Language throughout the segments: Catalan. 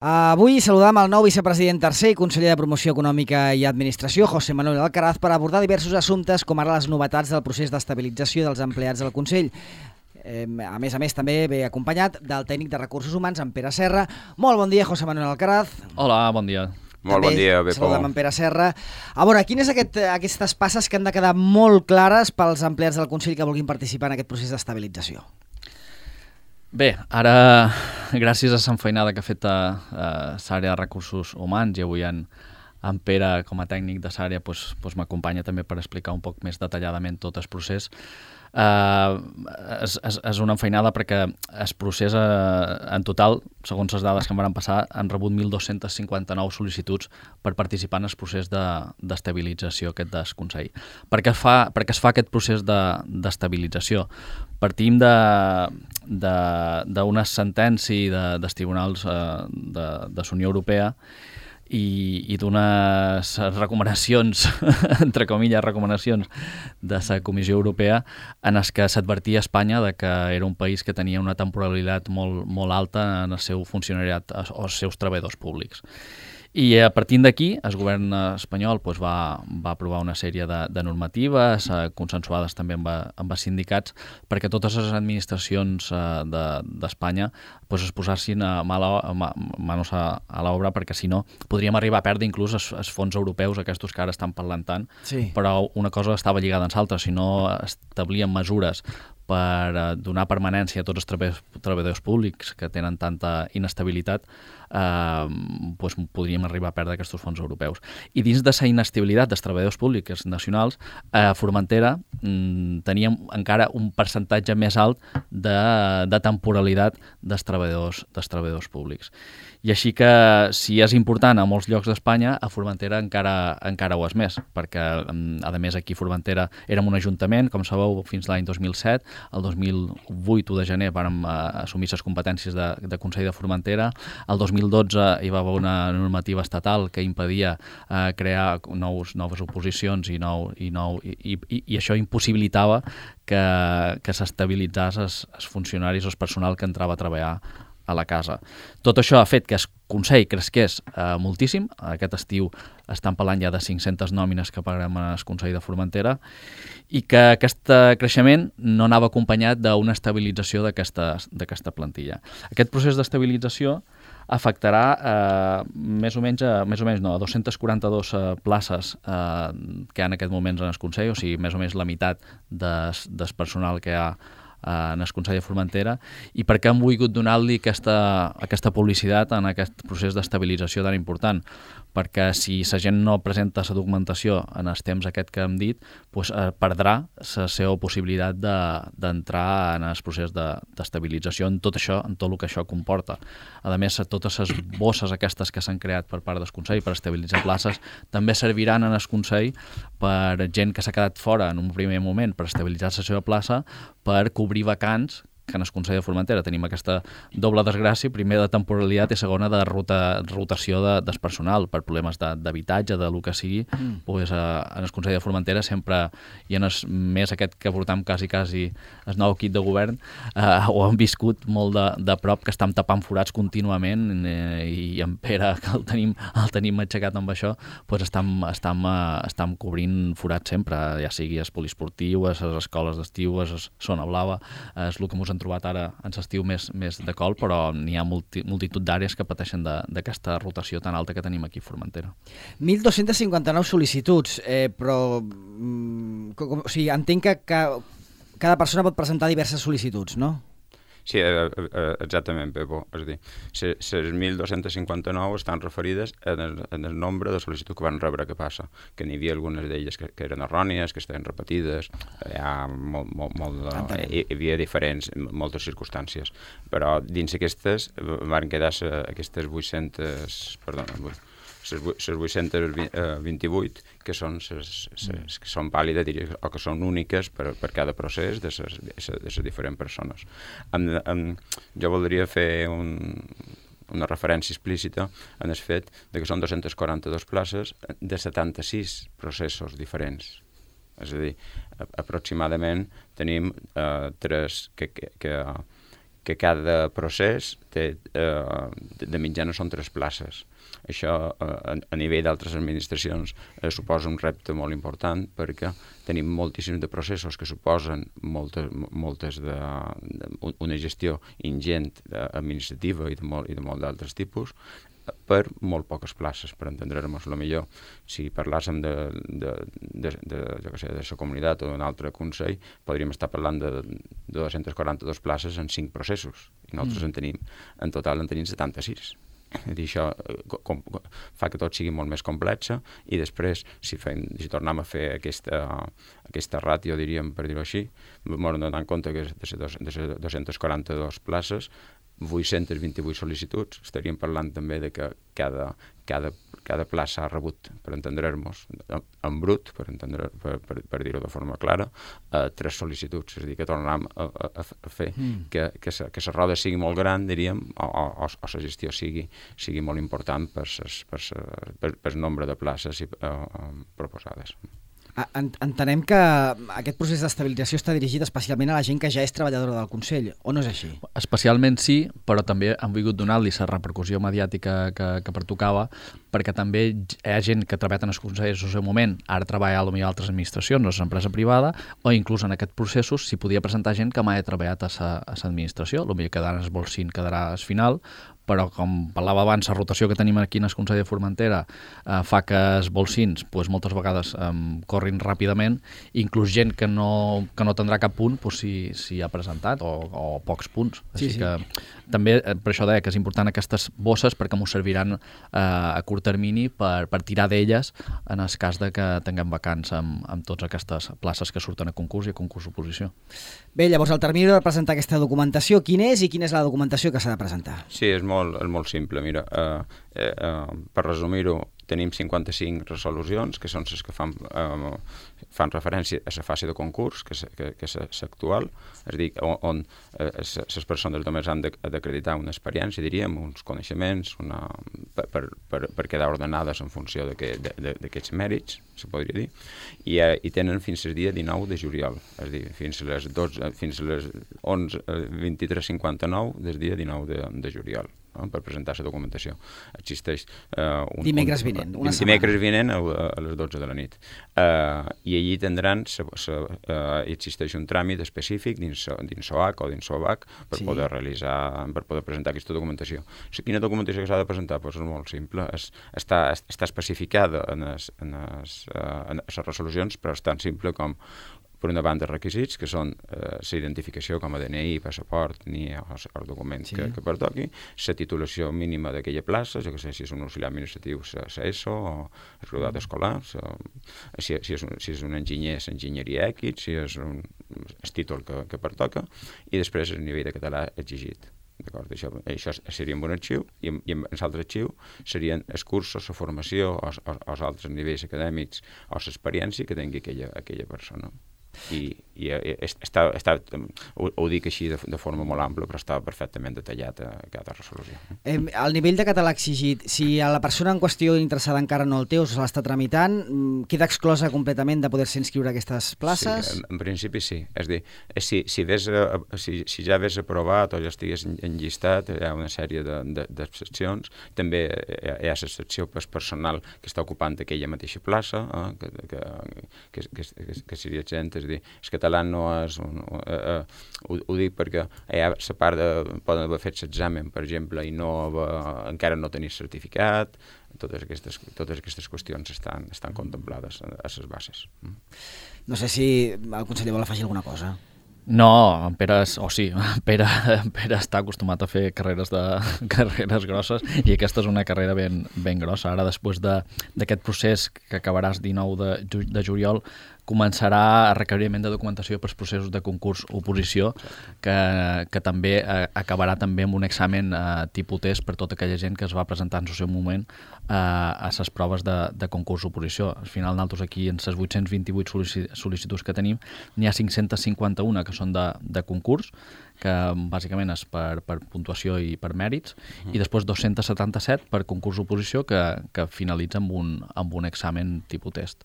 Avui saludam el nou vicepresident tercer i conseller de Promoció Econòmica i Administració, José Manuel Alcaraz, per abordar diversos assumptes com ara les novetats del procés d'estabilització dels empleats del Consell. A més, també ve acompanyat del tècnic de Recursos Humans, en Pere Serra. Molt bon dia, José Manuel Alcaraz. Hola, bon dia. Molt bon dia, Bepo. Saludem en Pere Serra. A veure, quines aquestes passes que han de quedar molt clares pels empleats del Consell que vulguin participar en aquest procés d'estabilització? Bé, ara, gràcies a l'enfeinada que ha fet l'àrea de Recursos Humans i avui en Pere, com a tècnic de l'àrea, m'acompanya també per explicar un poc més detalladament tot el procés. És una enfeinada perquè el procés en total, segons les dades que em van passar, han rebut 1.259 sol·licituds per participar en el procés d'estabilització aquest del Consell. Per què es fa aquest procés d'estabilització? Partim d'una sentència dels tribunals de la Unió Europea i d'unes recomanacions, entre comilles, recomanacions de la Comissió Europea en les que s'advertia a Espanya que era un país que tenia una temporalitat molt alta en el seu funcionariat o els seus treballadors públics. I a partir d'aquí, el govern espanyol va aprovar una sèrie de normatives consensuades també amb els sindicats perquè totes les administracions d'Espanya es posessin manos a l'obra, perquè si no podríem arribar a perdre inclús els fons europeus, aquests que ara estan parlant tant, sí. Però una cosa estava lligada amb l'altra. Si no establien mesures per donar permanència a tots els treballadors públics que tenen tanta inestabilitat, podríem arribar a perdre aquests fons europeus. I dins de la inestabilitat dels treballadors públics nacionals, a Formentera teníem encara un percentatge més alt de temporalitat dels treballadors públics. I així que, si és important a molts llocs d'Espanya, a Formentera encara ho és més, perquè, a més, aquí a Formentera érem un ajuntament, com sabeu, fins l'any 2007, el 2008, 1 de gener, vàrem assumir les competències de Consell de Formentera, el 2012 hi va haver una normativa estatal que impedia crear noves oposicions i això impossibilitava que s'estabilitzés els funcionaris o el personal que entrava a treballar a la casa. Tot això ha fet que el Consell cresqués moltíssim. Aquest estiu estan parlant ja de 500 nòmines que pagarem al Consell de Formentera i que aquest creixement no anava acompanyat d'una estabilització d'aquesta plantilla. Aquest procés d'estabilització afectarà més o menys a 242 places que hi ha en aquest moment en el Consell, o sigui, més o menys la meitat del personal que hi ha en el Consell de Formentera. I per què hem volgut donar-li aquesta publicitat en aquest procés d'estabilització tan important? Perquè si la gent no presenta la documentació en els temps aquest que hem dit, perdrà la seva possibilitat d'entrar en el procés d'estabilització en tot això, en tot el que això comporta. A més, totes les bosses aquestes que s'han creat per part del Consell per estabilitzar places també serviran en el Consell per gent que s'ha quedat fora en un primer moment per estabilitzar la seva plaça, per cobrir vacants, que en el Consell de Formentera tenim aquesta doble desgràcia, primer de temporalitat i segona de rotació del personal per problemes d'habitatge, de lo que sigui. En el Consell de Formentera sempre, i en el mes aquest que portam quasi el nou equip de govern, ho hem viscut molt de prop, que estem tapant forats contínuament i en Pere, que el tenim aixecat amb això, estem cobrint forats sempre, ja sigui el poliesportiu, les escoles d'estiu, la zona blava, és el que ens hem trobat ara en l'estiu més de col, però n'hi ha multitud d'àrees que pateixen d'aquesta rotació tan alta que tenim aquí a Formentera. 1.259 sol·licituds, però entenc que cada persona pot presentar diverses sol·licituds, no? Sí, exactament, Pepo. És a dir, les 1.259 estan referides en el nombre de sol·licituds que van rebre. Què passa? Que n'hi havia algunes d'elles que eren errònies, que estaven repetides, hi havia moltes circumstàncies. Però dins aquestes van quedar aquestes 828 que són vàlides o que són úniques per cada procés de les diferents persones. Jo voldria fer una referència explícita en el fet que són 242 places de 76 processos diferents. És a dir, aproximadament tenim 3 que cada procés de mitjana són 3 places. Això, a nivell d'altres administracions, suposa un repte molt important perquè tenim moltíssims de processos que suposen una gestió ingent administrativa i de molt d'altres tipus per molt poques places, per entendre-nos la millor. Si parlàssim de la comunitat o d'un altre consell, podríem estar parlant de 242 places en 5 processos. I nosaltres en total en tenim 76. És dir, això fa que tot sigui molt més complex i després, si tornem a fer aquesta ràtio, diríem, per dir-ho així, m'hem donat en compte que de les 242 places, 828 sol·licituds, estaríem parlant també de que cada plaça ha rebut, per entendre-nos, en brut, per dir-ho de forma clara, 3 sol·licituds. És a dir, que tornarem a fer que la roda sigui molt gran, diríem, o la gestió sigui molt important per nombre de places proposades. Entenem que aquest procés d'estabilització està dirigit especialment a la gent que ja és treballadora del Consell, o no és així? Especialment sí, però també han volgut donar-li la repercussió mediàtica que pertocava, perquè també hi ha gent que ha treballat en els consells en el seu moment, ara treballa potser a altres administracions, o a l'empresa privada, o inclús en aquests processos s'hi podia presentar gent que mai ha treballat a l'administració, potser quedarà el bolsín, quedarà al final, però com parlava abans, la rotació que tenim aquí en el Consell de Formentera fa que els bolsins moltes vegades corrin ràpidament, inclús gent que no tindrà cap punt s'hi ha presentat, o pocs punts. Així que també per això deia que és important aquestes bosses perquè ens serviran a curt termini per tirar d'elles en el cas de que tinguem vacants amb totes aquestes places que surten a concurs i a concurs oposició. Bé, llavors el termini de presentar aquesta documentació, quin és i quina és la documentació que s'ha de presentar? Sí, és molt simple. Mira, per resumir-ho, tenim 55 resolucions, que són les que fan referència a la fase de concurs, que és l'actual, és a dir, on les persones només han d'acreditar una experiència, diríem, uns coneixements, per quedar ordenades en funció d'aquests mèrits, se podria dir, i tenen fins al dia 19 de juliol, és a dir, fins a les 11:23:59 del dia 19 de juliol. Per presentar la documentació. Existeix dimecres vinent, una setmana. Dimecres vinent a les 12 de la nit. I allí tindran, existeix un tràmit específic dins SOAC o dins SOVAC per poder presentar aquesta documentació. Quina documentació que s'ha de presentar? És molt simple. Està especificada en les resolucions, però és tan simple com per una banda requisits, que són la identificació com a DNI, passaport, ni els documents que pertoqui, la titulació mínima d'aquella plaça, jo que sé si és un auxiliar administratiu, la ESO, o el graduat escolar, si és un enginyer, l'enginyeria X, si és el títol que pertoca, i després el nivell de català exigit. Això seria un arxiu, i en l'altre arxiu serien els cursos, la formació, o els altres nivells acadèmics, o l'experiència que tingui aquella persona. I ho dic així de forma molt ampla, però està perfectament detallat a cada resolució. El nivell de català exigit, si a la persona en qüestió interessada encara no el té o se l'està tramitant, queda exclosa completament de poder-se inscriure a aquestes places? Sí, en principi sí. És a dir, si ja hagués aprovat o ja estigués enllistat, hi ha una sèrie d'excepcions. També hi ha l'excepció personal que està ocupant aquella mateixa plaça, que seria gent. És a dir, el català no és... Ho dic perquè hi ha la part poden haver fet l'examen, per exemple, i encara no tenir certificat. Totes aquestes qüestions estan contemplades a les bases. No sé si el conseller vol afegir alguna cosa. No, en Pere està acostumat a fer carreres grosses i aquesta és una carrera ben grossa. Ara, després d'aquest procés que acabaràs 19 de juliol, començarà el requeriment de documentació pels processos de concurs oposició, que també acabarà també amb un examen tipus test per tota aquella gent que es va presentar en el seu moment a les proves de concurs oposició. Al final, nosaltres aquí, en les 828 sol·licituds que tenim, n'hi ha 551 que són de concurs, que bàsicament és per puntuació i per mèrits, i després 277 per concurs oposició que finalitza amb un examen tipus test.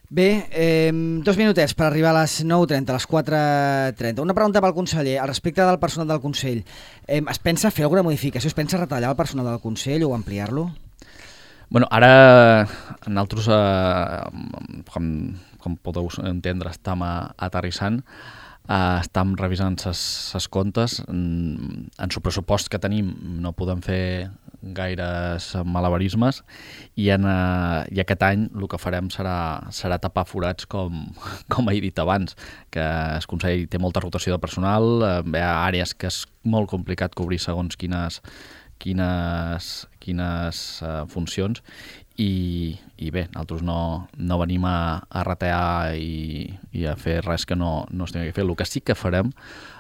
Bé, 2 minutets per arribar a les 9:30, a les 4:30. Una pregunta pel conseller. Al respecte del personal del Consell, es pensa fer alguna modificació? Es pensa retallar el personal del Consell o ampliar-lo? Bueno, ara nosaltres, com podeu entendre, estem aterrissant, estem revisant ses comptes. En el pressupost que tenim no podem fer gaires malabarismes i aquest any el que farem serà tapar forats, com he dit abans, que el Consell té molta rotació de personal, hi ha àrees que és molt complicat cobrir segons quines funcions i bé, nosaltres no venim a retear i a fer res que no es tingui que fer. El que sí que farem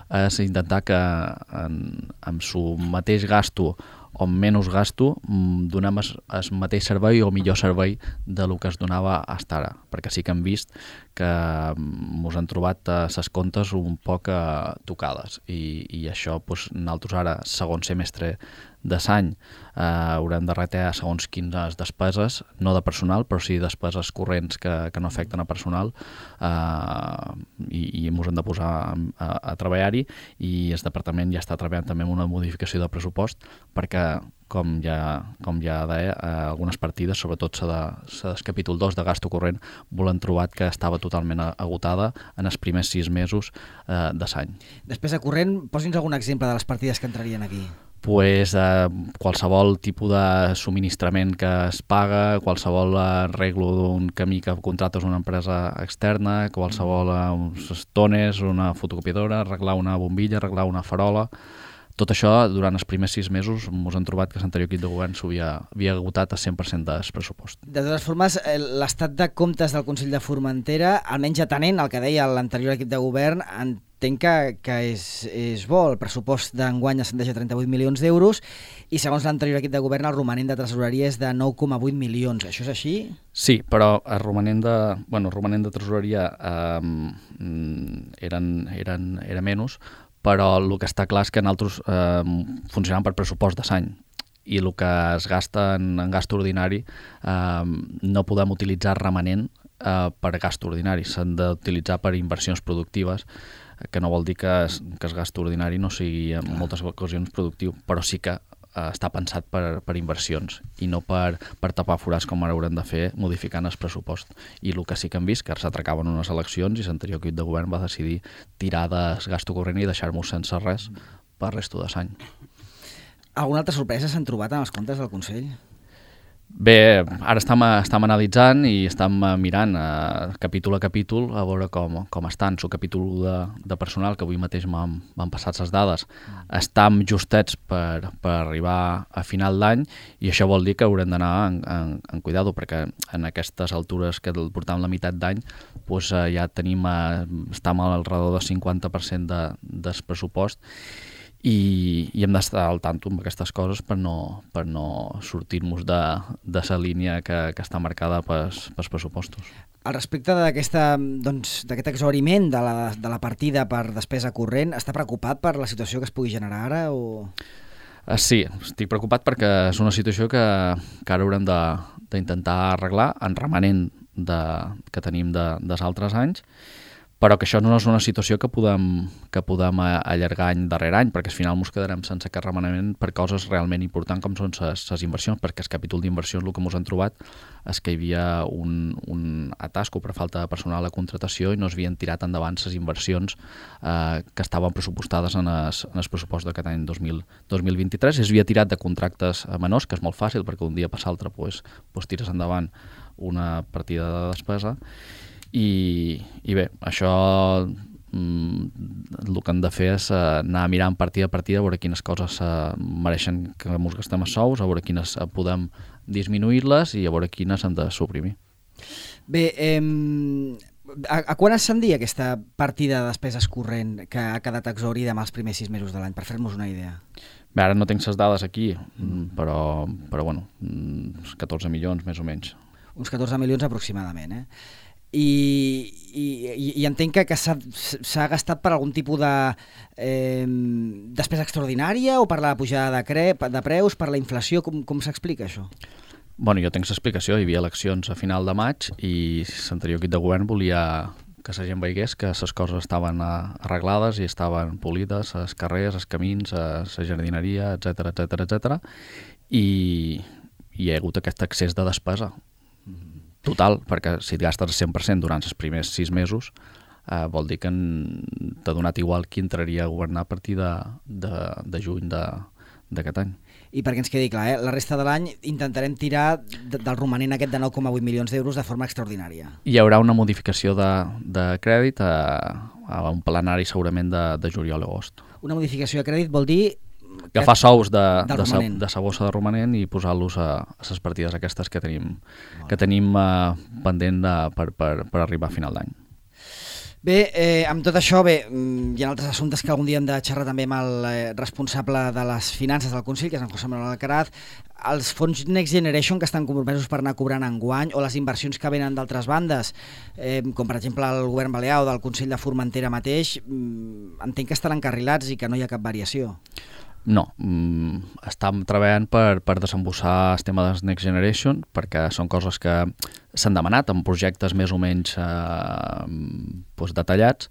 és intentar que amb su mateix gasto o menys gasto donem el mateix servei o millor servei del que es donava fins ara, perquè sí que hem vist que ens han trobat les comptes un poc tocades i això nosaltres ara, segon semestre de l'any, haurem de retear segons quines despeses, no de personal, però sí despeses corrents que no afecten a personal i ens hem de posar a treballar-hi i el departament ja està treballant també en una modificació de pressupost perquè, com ja deia, algunes partides, sobretot la del capítol 2 de gasto corrent, volem trobat que estava totalment agotada en els primers 6 mesos de l'any. Despesa corrent, posi'ns algun exemple de les partides que entrarien aquí. Qualsevol tipus de subministrament que es paga, qualsevol arreglo d'un camí que contractes una empresa externa, qualsevol uns tones, una fotocopiadora, arreglar una bombilla, arreglar una farola. Tot això, durant els primers 6 mesos, ens hem trobat que l'anterior equip de govern havia agotat a 100% del pressupost. De totes formes, l'estat de comptes del Consell de Formentera, almenys atenent el que deia l'anterior equip de govern, entenc que és bo. El pressupost d'enguany ascendeix a 38 milions d'euros i segons l'anterior equip de govern el romanent de tresoreria és de 9,8 milions. Això és així? Sí, però el romanent de tresoreria era menys, però el que està clar és que nosaltres funcionem per pressupost de l'any i el que es gasta en gast ordinari no podem utilitzar remanent per gast ordinari, s'han d'utilitzar per inversions productives, que no vol dir que el gast ordinari no sigui en moltes ocasions productiu, però sí que està pensat per inversions i no per tapar forats com ara haurem de fer modificant el pressupost. I el que sí que hem vist, que ara s'atracaven unes eleccions i l'anterior equip de govern va decidir tirar del gasto corrent i deixar-nos sense res per resto de l'any. Alguna altra sorpresa s'han trobat en els comptes del Consell? Bé, ara estem analitzant i estem mirant capítol a capítol a veure com estan. El capítol de personal, que avui mateix m'han passat les dades, estem justets per arribar a final d'any i això vol dir que haurem d'anar en cuidado, perquè en aquestes altures que portam la meitat d'any ja estem al redor del 50% del pressupost i hem d'estar al tanto amb aquestes coses per no sortir-nos de la línia que està marcada pels pressupostos. Al respecte d'aquest exhauriment de la partida per despesa corrent, està preocupat per la situació que es pugui generar ara? Sí, estic preocupat perquè és una situació que ara haurem d'intentar arreglar en remanent que tenim dels altres anys, però que això no és una situació que podem allargar any darrere any, perquè al final ens quedarem sense aquest remanament per coses realment importants com són les inversions, perquè el capítol d'inversions el que ens han trobat és que hi havia un atasco per falta de personal a contratació i no s'havien tirat endavant les inversions que estaven pressupostades en el pressupost d'aquest any 2023. S'havia tirat de contractes menors, que és molt fàcil perquè un dia per l'altre tires endavant una partida de despesa. I bé, això el que hem de fer és anar mirant partida a partida, a veure quines coses mereixen que ens gastem els sous, a veure quines podem disminuir-les i a veure quines hem de suprimir. Bé, a quan ascendia aquesta partida de despeses corrent que ha quedat exhaurida amb els primers 6 mesos de l'any, per fer-nos una idea? Bé, ara no tinc les dades aquí, però bueno, uns 14 milions més o menys. Uns 14 milions aproximadament, I entenc que s'ha gastat per algun tipus de despesa extraordinària o per la pujada de preus, per la inflació, com s'explica això? Bueno, jo tinc l'explicació, hi havia eleccions a final de maig i l'anterior equip de govern volia que la gent veigués que les coses estaven arreglades i estaven polides, els carrers, els camins, la jardineria, etc. I hi ha hagut aquest excés de despesa total, perquè si et gastes el 100% durant els primers 6 mesos, vol dir que t'ha donat igual qui entraria a governar a partir de juny d'aquest any. I perquè ens quedi clar, la resta de l'any intentarem tirar del romanent aquest de 9,8 milions d'euros de forma extraordinària. Hi haurà una modificació de crèdit a un plenari segurament de juliol o agost. Una modificació de crèdit vol dir agafar sous de sa bossa de romanent i posar-los a les partides aquestes que tenim pendent per arribar a final d'any. Bé, amb tot això, hi ha altres assumptes que algun dia hem de xerrar també amb el responsable de les finances del Consell, que és en José Manuel Alcaraz. Els fons Next Generation que estan compromesos per anar cobrant enguany, o les inversions que venen d'altres bandes, com per exemple el govern balear o del Consell de Formentera mateix, entenc que estan encarrilats i que no hi ha cap variació. No, estem treballant per desembossar el tema dels Next Generation, perquè són coses que s'han demanat en projectes més o menys detallats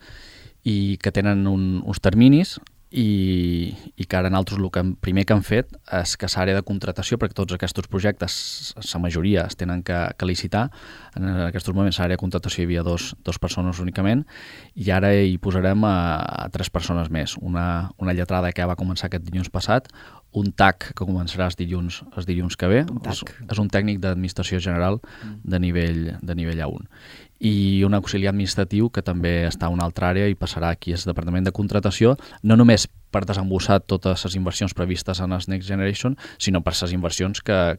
i que tenen uns terminis i que ara nosaltres el primer que han fet és que l'àrea de contratació, perquè tots aquests projectes, la majoria es tenen que licitar. En aquests moments l'àrea de contratació hi havia dos persones únicament i ara hi posarem a 3 persones més. Una lletrada que va començar aquest dilluns passat, un TAC que començarà els dilluns que ve, és un tècnic d'administració general de nivell A1, i un auxiliar administratiu que també està a una altra àrea i passarà aquí al Departament de Contratació, no només per desembossar totes les inversions previstes en els Next Generation, sinó per les inversions que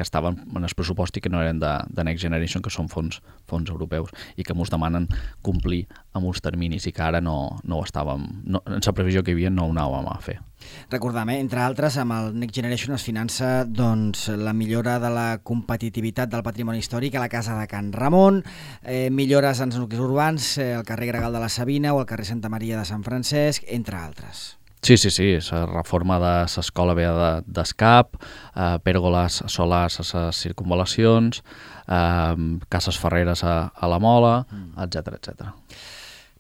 estaven en el pressupost i que no eren de Next Generation, que són fons europeus i que ens demanen complir amb uns terminis i que ara no ho estàvem, en la previsió que hi havia no ho anàvem a fer. Recordem, entre altres, amb el Next Generation es finança la millora de la competitivitat del patrimoni històric a la Casa de Can Ramon, millores en els nuclis urbans, el carrer Gregal de la Sabina o el carrer Santa Maria de Sant Francesc, entre altres. Sí, la reforma de l'escola vella d'Escap, pèrgoles solars a les circunvalacions, cases ferreres a la Mola, etc.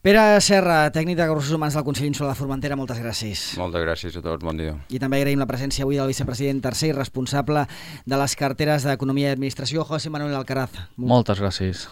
Pere Serra, tècnic de recursos humans del Consell Insular de Formentera, moltes gràcies. Moltes gràcies a tots, bon dia. I també agraïm la presència avui del vicepresident tercer i responsable de les carteres d'Economia i Administració, José Manuel Alcaraz. Moltes gràcies.